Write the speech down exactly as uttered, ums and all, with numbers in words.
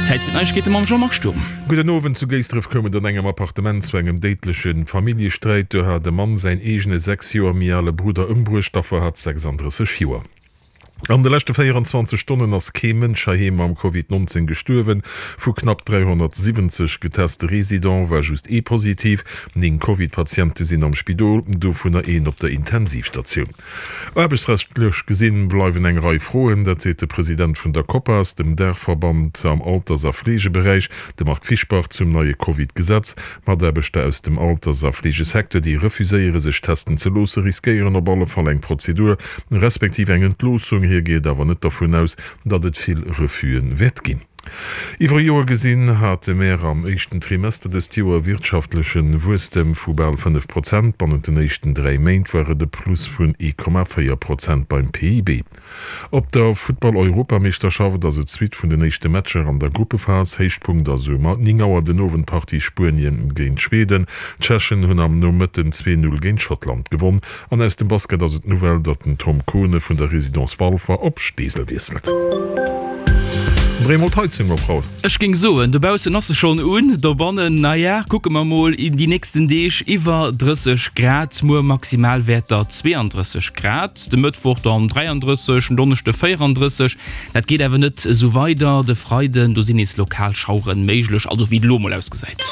Zäit fir d'Neiegkeete mam Jean-Marc Sturm. Gudden Owend. Zu Géisdref koum et an engem Appartement zu engem déidleche Familljesträit. Do hat e Mann säin eegene sechs Joer méi ale Brudder ëmbruecht. D'Affer hat sechsanddrësseg Joer. An de leschte véieranzwanzeg Stonnen ass kee Mënsch heiheem mam Covid nonzéng gestuerwen. Vu knapp dräihonnertsiwwenzeg geteste Residente war just ee positiv. Néng Covid-Patiente sinn am Spidol, dovunner een op der Intensivstatioun. Aarbechtsrechtlech gesinn bleiwen eng Rei Froen, dat seet de President vun der Copas, dem Daachverband am Alters a Fleegeberäich, de Marc Fischbach, zum neie Covid-Gesetz. Mataarbechter aus dem Alters a Fleegesecteur, déi refuséiere sech testen ze loosse, riskéieren op alle Fall eng Prozedur, respektiv eng Entloossung. Hie geet awer net dervun aus, datt et vill Refuse wäert ginn. Iwwer e Joer gesinn hate mär am éischten Trimester dëst Joer e wirtschaftleche Wuesstem vu bal fënnef Prozent. Bannent den éischten dräi Méint war et e Plus vun ee Komma véier Prozent beim P I B. Op der Futtball-Europameeschterschaft ass et d'Suite vun den éischte Matcher an der Gruppephas. Héichpunkt ass um néng Auer den Owend d'Partie Spuenien géint Schweden. D'Tschechen hunn am Nomëtten zwee Null géint Schottland gewonn. An aus dem Basket ass et d'Nouvelle, datt den Tom Kohne vun der Résidence Walfer op Steesel wiesselt. Dréi mol d'Heizung op, Raoul. Ech géing soen, dobaussen ass se schonn un, dobannen, naja, kucke mer mol déi nächsten Deeg, iwwer drësseg Grad, muer Maximalwäerter zweeandrësseg Grad, de Mëttwoch dann dräiandrësseg, en Donneschde véierandrësseg. Dat geet awer net esou weider, de Freiden, do sinn nees lokal Schauere méiglech, also wéi et elo mol ausgesäit.